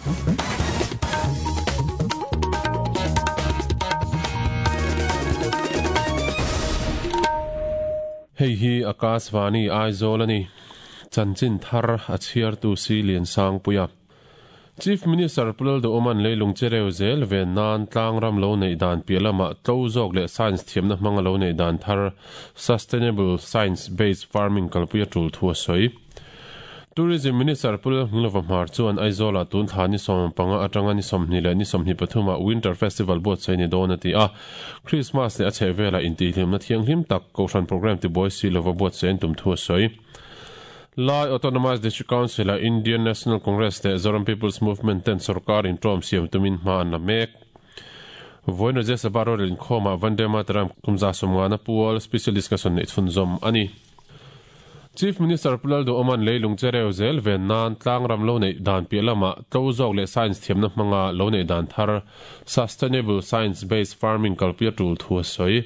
Hei hi Akashvani Aizawl a ni. Chanchin thar a chhiartu si Liansangpuia. Chief Minister Pu Lalduhawma'n leilung chereu zel ven nan tlangram lo neih dan piah lamah tlo zawk leh science thiamna hmanga lo neih dan thar Sustainable Science Based Farming kalpui a tul thu a sawi. Tourism Minister Pu Lalhminglova Hmar chuan Aizawlah tun thla ni 15 atanga ni 20 leh ni 23 ah Winter Festival buatsaih ni dawn a ti a. Christmas leh a chhehvelah intihhlimna thianghlim tak Kohhran programme tibuai si lova buatsaih an tum thu a sawi. Lai Autonomous District Council-a Indian National Congress leh Zoram People's Movement ten sorkar inṭawm siam tumin hma an la mek. Vawiin Rajya Sabha rorel inkhawmah Vande Mataram kum 150 pual special discussion neih chhunzawm a ni. Chief Minister Pu Lalduhawma'n leilung chereu zel ven nan tlangram lo neih dan piah lamah tlo zawk leh science thiamna hmanga lo neih dan thar Sustainable Science Based Farming kalpui a tul thu a sawi.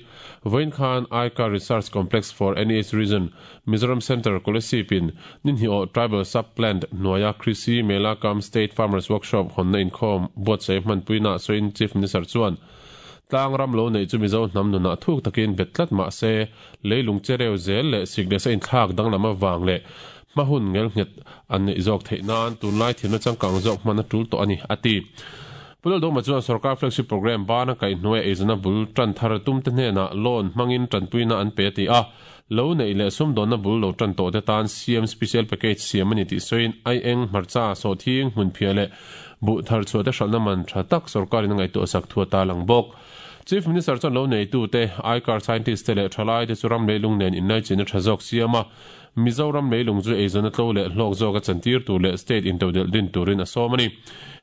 Vawiin khan ICAR Research Complex for NEH Region Mizoram Centre Kolasib-in Ninhniawh Tribal Sub-Plant hnuaia Krishi Mela cum State Farmers Workshop hawnna inkhawm buatsaih hmanpuinaah sawiin Chief Minister chuan tlang ram lo neih chu Mizo hnam nunah thuk takin bet tlat mah se leilung chereu zel leh sik leh sa inthlak danglam avang leh hma hun ngelnghet an neih zawk theih nan tunlai thiamna changkang zawk hman a tul tawh a ni, a ti. Pu Laldawma chuan sorkar flagship programme bana kaihhnuaia eizawnna bul tan thar tumte hnenah loan hmangin tanpuina an pe a ti a. Lo neih leh sumdawnna bul lo tan tawhte tan CM Special Package siam a ni tih sawiin Aieng, hmarcha, sawhthing, hmunphiah leh buh thar chhuahte hralhna man tha tak sorkarin a ngaihtuah sak thu a tarlang bawk. Chief Minister chuan lo neitute, ICAR scientist te leh thalaite chu ram leilung nen inlaichinna tha zawk siam a, Mizoram leilung chu eizawnna tlo leh hlawk zawka chantir tur leh state intodelh din turin a sawm a ni.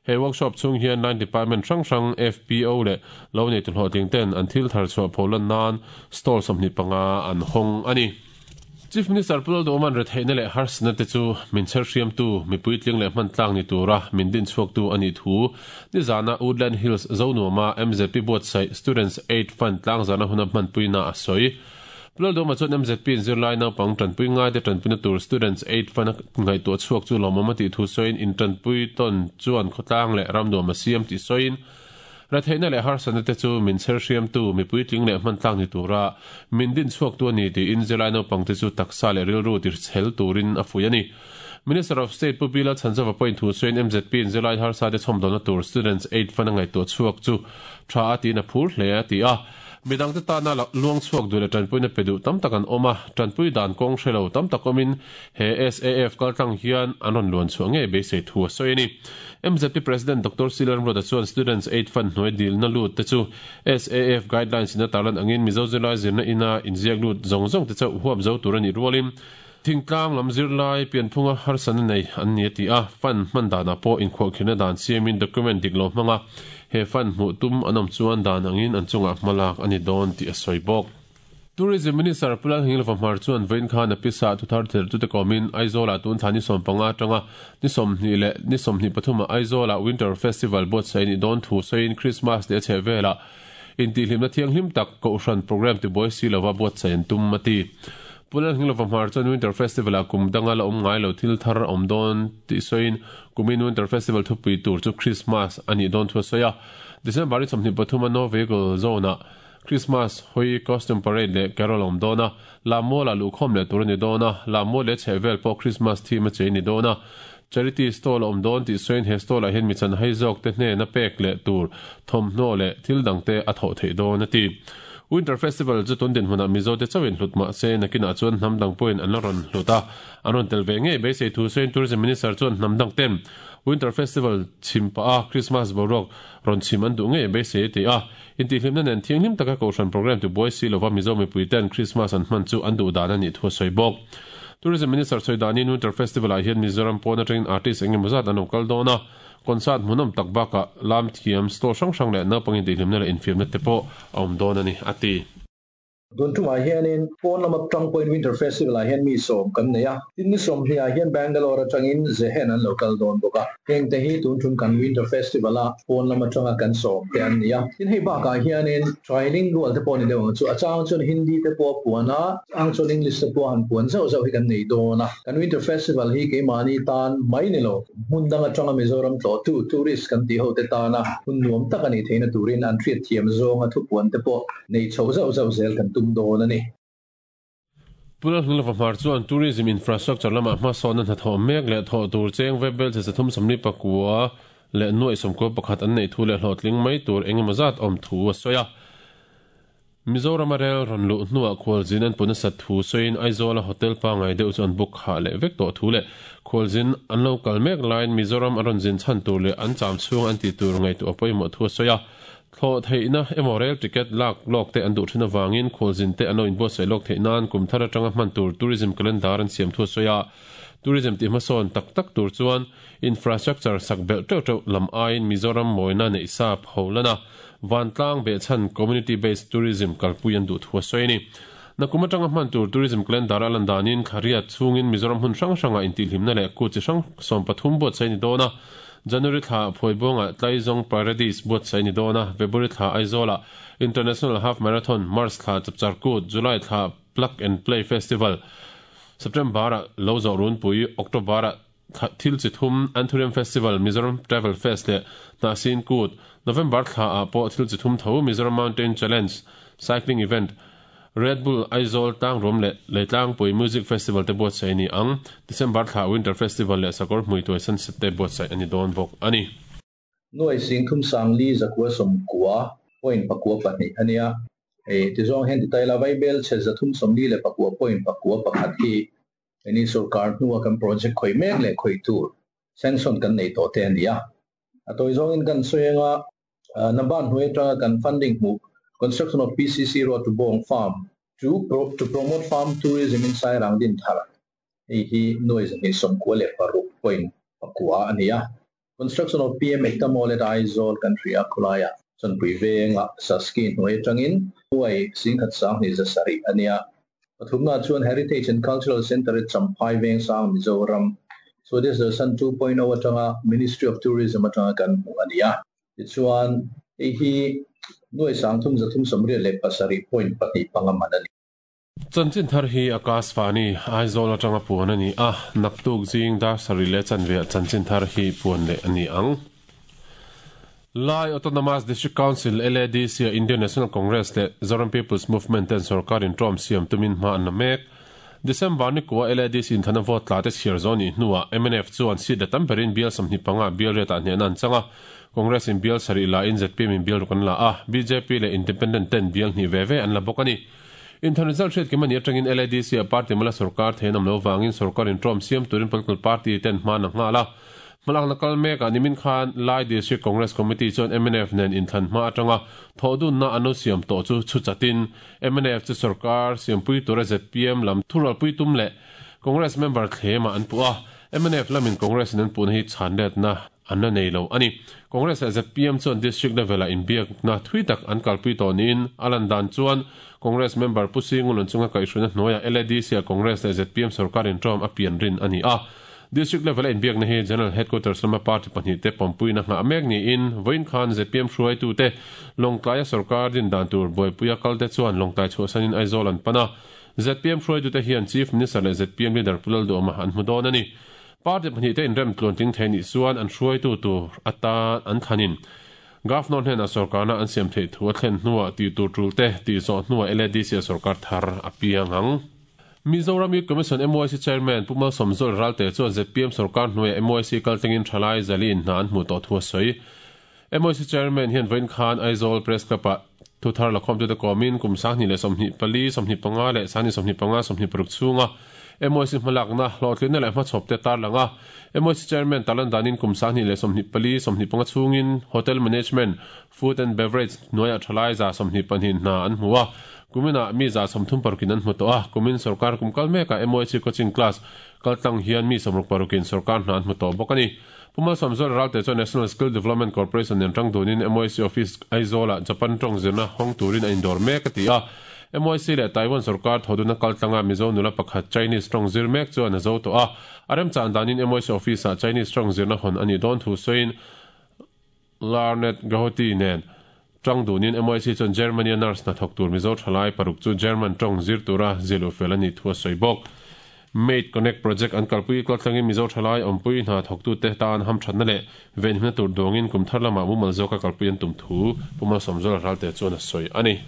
He workshop chhung hian line department hrang hrang, FPO leh lo neitu hlawhtling ten an thil thar chhuah pholan nan stall 25 an hawng a ni. Chief Minister Pu Lalduhawma'n retheihna leh harsatna te chu min chher hriamtu, mipui tling leh hman tlak ni tura min din chhuaktu a nih thu nizana Woodland Hills Zonuama MZP buatsaih Students Aid Fund tlangzarna huna hmanpuina a sawi. Pu Lalduhawma chuan MZP in zirlai naupang tanpui ngaite tanpuina tur Students Aid Fund a ngaihtuah chhuak chu lawmawm a tih thu sawiin intanpui tawn chuan khawtlang leh ramnuam a siam tih sawiin Retheihna leh harsatna te chu min chher hriamtu, mi puitling leh hman tlak ni tura min din chhuaktu a ni tiin zirlai naupangte chu taksa leh rilru tirchhel turin a fuih a ni. Minister of State Pu Bilal Chhanzova pawhin thu sawiin MZP in zirlai harsate chhawmdawlna tur Students Aid Fund a ngaihtuah chhuak chu tha a tiin a phur hle a ti a. Midangte tana luang chhuak duh leh tanpuina pe duh tam tak an awm a, tanpui dan kawng hre lo tam tak awmin he SAF kaltlang hian an rawn luan chhuah ngei beisei thu a sawi a ni. MZP President Doctor C Lalramruata chuan Students Aid Fund hnuai dilna lut te chu SAF guidelines in a tarlan angin Mizo zirlai zirna ina inziak lut zawng zawng te chauh huap zo tur a nih rualin thingtlang lam zirlai pianphunga harsatna nei an ni a ti a, fund hman danah pawh inkhuahkhirhna dan siamin document dik lo hmanga he fund hmuh tum an awm chuan dan angin an chungah hmalak a ni dawn tih a sawi bawk. Tourism Minister Pu Lalhingilova Hmar chuan vawiin khan a pisa thuthar thertute kawmin Aizawlah tun thla ni 15 atanga ni 20 leh ni 23 ah Aizawlah Winter Festival buatsaih a nih dawn thu sawiin Christmas leh a chhehvelah intihhlimna thianghlim tak Kohhran programme tibuai si lova buatsaih an tum a ti. Pu Lalhingilova Hmar chuan Winter Festival-ah kum danga la awm ngai lo thil thar a awm dawn tih sawiin kumin Winter Festival thupui tur chu Christmas a nih dawn thu a sawi a. December ni 23 a No Vehicle Zone-ah Christmas hawi costume parade leh carol a awm dawn a, Lammualah luhkhawm leh tur a ni dawn a, Lammual leh chhehvel pawh Christmas theme a chei a ni dawn a. Charity stall a awm dawn tih sawiin he stall ah hian mi chanhai zawk te hnena pek leh tur thawmhnaw leh thil dang te a thawh theih dawn a ti. Winter Festival chu tun dinhmunah Mizo te chauhin hlut mah se nakinah chuan hnam dang pawhin an la rawn hlut a, an rawn tel ve ngei beisei thu sawiin Tourism Minister chuan hnam dang ten Winter Festival chhim pah a Christmas boruak rawn chhim an duh ngei beisei a ti a. Intihhlimna nen thianghlim taka Kohhran programme tibuai si lova Mizo mipui ten Christmas an hman chu an duh dan a nih thu a sawi bawk. Tourism Minister sawi danin Winter Festival ah hian Mizoram pawn atangin artist eng emaw zat an lo kal dawn a, concert hmuhnawm tak bakah lam thiam, stall hrang hrang leh naupang intihhlimna leh infiamna te pawh a awm dawn a ni, a ti. Tun tumah hianin pawn lama tang pawhin Winter Festival ah hian mi sawm kan nei a, tin ni 20 ah hian Bangalore atangin Zehen an lo kal dawn bawk a. Heng te hi tun tum kan Winter Festival a pawn lam atanga kan sawm te an ni a. Tin hei bakah hianin trilingual te pawh ni deuh ang chu, a chang chuan Hindi te pawh a puan a, chang chuan English te pawh a han puan zauh zauh hi kan nei dawn a. Kan Winter Festival hi keimahni tan mai ni lo, hmun dang atanga Mizoram tlawhtu, tourist kan tih ho te tana hun nuam tak a nih theihna turin an hriatthiam zawnga thupuan te pawh Nei chho zauh zauh zel kan tum dawn a ni. Pu Lalhnilova Hmar chuan Tourism Infrastructure lamah hmasawnna hnathawh mek leh thawh tur cheng Vaibel che 349 leh nuaih 91 an neih thu leh hlawhtling mai tur engemaw zat awm thu a sawi a. Mizorama rel rawn luh hnuah khualzin an pu nasat thu sawiin Aizawla hotel pangngai deuh chu an book khah leh vek tawh thu leh khualzin an lo kal mek laiin Mizoram a rawn zin chhan tur leh an cham chhung an tih tur ngaihtuah pawimawh thu a sawi a. Thlawh theihna emaw rail ticket lak lawk te an duh thin avangin khualzin te an lo inbuatsaih lawk theih nan kum thar atanga hman tur tourism calendar an siam thu a sawi a. Tourism tih hmasawn tak tak tur chuan infrastructure sak belh teuh teuh lam aiin Mizoram mawina neih sa pho lana vantlang behchhan community based tourism kalpui an duh thu a sawi a ni. Nakum atanga hman tur tourism calendar a lan danin thla riat chhungin Mizoram hmun hrang hrangah intihhlimna leh kut chi hrang 13 buatsaih a ni dawn a. January thla Phuaibuangah Tlaizawng Paradise buatsaih a ni dawn a, February thla Aizawlah International Half Marathon, March thla Chapchar Kut, July thla Plug and Play Festival, September-ah Lo Zawh Runpui, October-ah Thil Chi Thum, Anthurium Festival, Mizoram Travel Fest leh Hnahsin Kut, November thlaah pawh Thil Chi Thum tho Mizoram Mountain Challenge Cycling Event, Red Bull Aizawl Tlangruam leh Leitlangpui Music Festival te buatsaih a ni ang. December thla Winter Festival leh Sakawr Hmuituai Sunset te buatsaih a ni dawn bawk a ni. Nuai sing thum sang li zakua sawmkua point pakua pahnih a nia. Hei ti zawng hian ti ta ila Vaibel chhe zathum sawmli leh pakua point pakua pakhat hi heni sorkar hnua kan project khawih mek leh khawih tur sanction kan nei tawh te a ni a. A tawi zawngin kan sawi anga Naban hnuai atanga kan funding hmuh Construction of PCC Road to Bawng Farm to to promote farm tourism in Sairang Dinthar hei hi nuai 296.4 a ni a. Construction of PM Ekta Mall at Aizawl kan hria khawlaiah Chawnpui venga Saski hnuai atangin nuai 10,207 a ni a. Pathumna chuan Heritage and Cultural Centre at Champhai Vengsang, Mizoram, Swadesh Darshan 2.0 atanga Ministry of Tourism atanga kan hmuh a ni a. Tichuan, hei hi nuai 3387.25 man a ni. Chanchin thar hi Akashvani, Aizawl atanga puan a ni a, naktuk zing dar sarih leh chanve ah chanchin thar hi puan leh a ni ang. Lai Autonomous District Council, LADC, a Indian National Congress leh Zoram People's Movement ten sorkar inṭawm siam tumin hma an la mek. December ni kua LADC inthana vote tla te chhiar zawh nih hnuah mnf chuan seat la tam berin bial 25 bial riatah hnehna an chang a, Congress in bial sarih la in zpm in bial ruk an la a, bjp leh Independent ten bial hnih ve ve an la bawk a ni. Inthan result hriat kim a nih atangin LADC ah party mala sorkar thei an awm lo vangin sorkar inṭawm siam turin political party ten hma an la nghal a. Hmalakna kal mekah nimin khan Lai District Congress Committee chuan mnf nen inthlan hma atanga thawhdunna an lo siam tawh chu chhu chatin mnf chu sorkar siampui tura zpm lam thurualpui tum leh Congress member thlemah an puh a, mnf lamin Congress in an puhna hi chhanletna an la nei lo a ni. Congress leh zpm chuan District level-ah inbiakna thui tak an kalpui tawh niin a lan dan chuan Congress member Pu Singulun chunga kaihhruina hnuaiah LADC-ah Congress leh zpm sorkar inṭawm a pian rin a ni a. District level-a inbiakna hi General Headquarters lama party pahnihte pawmpuina nghah mek niin vawiin khan zpm hruaitute Lawngtlaia sorkar din dan tur buaipuia kalte chuan Lawngtlai chhuahsanin Aizawl an pan a. Zpm hruaitute hian Chief Minister leh zpm leader Pu Lalduhawma an hmu dawn a ni. Party pahnihte inrem tluantling thei nih chuan an hruaitu tur atan an thlanin Governor hnenah sorkarna an siam theih thu a thlen hnuah tih tur tulte tih zawh hnuah LADC-a sorkar thar a piang ang. Mizoram Youth Commission, MYC, Chairman Pu Malsawmzawlh Ralte chuan zpm sorkar hnuaiah MYC kaltlingin thalai zali in hna an hmuh tawh thu a sawi. MYC Chairman hian vawiin khan Aizawl Press Club-ah thu thar lakhawmtute kawmin kum 2024, 25 leh 2025, 26 chhunga MYC hmalakna, hlawhtlinna leh hmachhawpte tarlang a. MYC Chairman tarlan danin kum 2024, 25 chhungin Hotel Management, Food and Beverage hnuaiah thalai 22 hna an hmu a, kuminah mi 36 in an hmu tawh a, kumin sorkar kum kal mekah MOHC coaching class kaltlang hian mi 66 in sorkar hna an hmu tawh bawk a ni. Pu Malsawmzuala Ralte chuan National Skill Development Corporation nen tang dunin MOHC office Aizawlah Japan tawng zirna hawng turin a indawr mek a ti a. MYC leh Taiwan sorkar thoduna kaltlanga Mizo nula pakhat Chinese tawng zir mek chuan a zo tawh a. A remchan danin MYC office-ah Chinese tawng zirna hawn a nih dawn thu sawiin Larnet Gahoti nen tang dunin MYC chuan Germany-a nurse hnathawk tur Mizo thalai paruk chu German tawng zir tura zilh fel a nih thu a sawi bawk. Made Connect project an kalpui kaltlangin Mizo thalai awmpui hna thawktute tan hamthatna leh venhimna tur duangin kum thar lamah mumal zawka kalpui an tum thu Pu Malsawmzuala Ralte chuan a sawi a ni.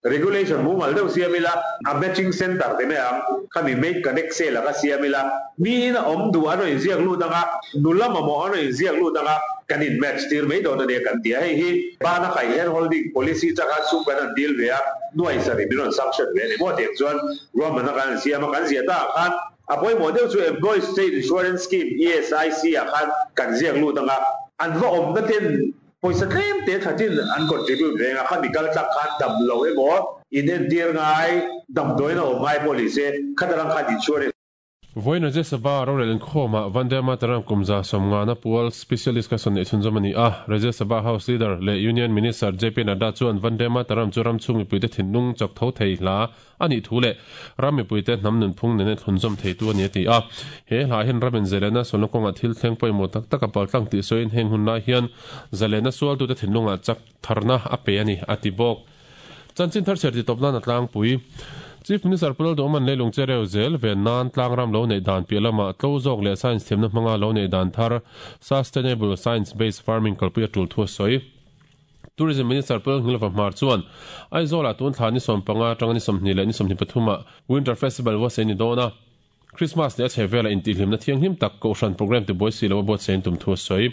Regulation mumal deuh siam ila, a matching centre te mai ang, khami Made Connect sale a kha siam ila, miin a awm duh an rawn inziak lut ang a, nula mamawh an rawn inziak lut ang a, kan in match tir mai dawn a nia kan ti a, hei hi bana kai hand holding policy changa sum kan han dil ve a, nuai sarih min rawn sanction ve a ni maw tiang chuan ruahmanna kan han siam a, kan ziah ta ah khan a pawimawh deuh chu Employees State Insurance Scheme, ESIC, ah khan kan ziak lut ang a, an va awmna ten Pawisa tlem te thatin an contribute reng a, khami kal tlak khan dam lo emaw, in entir ngai, damdawiin a awm ngai pawh ni se, khatarang khan insurance. Vawiin Rajya Sabha rorel inkhawmah Vande Mataram kum 150 pual specialist ka sawn neih chhunzawm a ni a. Rajya Sabha House Leader leh Union Minister JP Nadda chuan Vande Mataram chu ram chhung mipuite thinlung chawk tho thei hla a nih thu leh ram mipuite hnam nunphung nena thlunzawm theitu a ni a ti a. He hla hian ram inzalena sualna kawngah thil thleng pawimawh tak tak a paltlang tih sawiin heng hun lai hian zalena sualtute thinlungah chak tharna a pe a ni a ti bawk. Chanchin thar chher titawp nan a tlangpui. Chief Minister Pu Lalduhawman leilung che reu zel ven nan tlangram lo neih dan piah lamah tlo zawk leh science thiamna hmanga lo neih dan thar Sustainable Science Based Farming kalpui a tul thu a sawi. Tourism Minister Pu Lalngilva Hmar chuan Aizawl-ah tun thla ni 15 atanga ni 20 leh ni 23 ah Winter Festival buatsaih a ni dawn a. Christmas leh a chhe velah intihhlimna thianghlim tak Kohhran programme tibuai si lo a buatsaih an tum thu a sawi.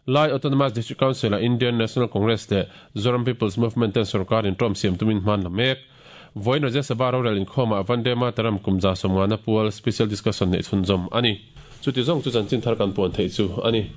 Lai Autonomous District Council-ah Indian National Congress leh Zoram People's Movement ten sorkar inṭawm siam tumin hman la mek. Vawiin Rajya Sabha rorel inkhawmah Vande Mataram kum 150 pual Special Discussion neih chhunzawm a ni. Chuti zawng chu chanchin thar kan puan theih chu a ni.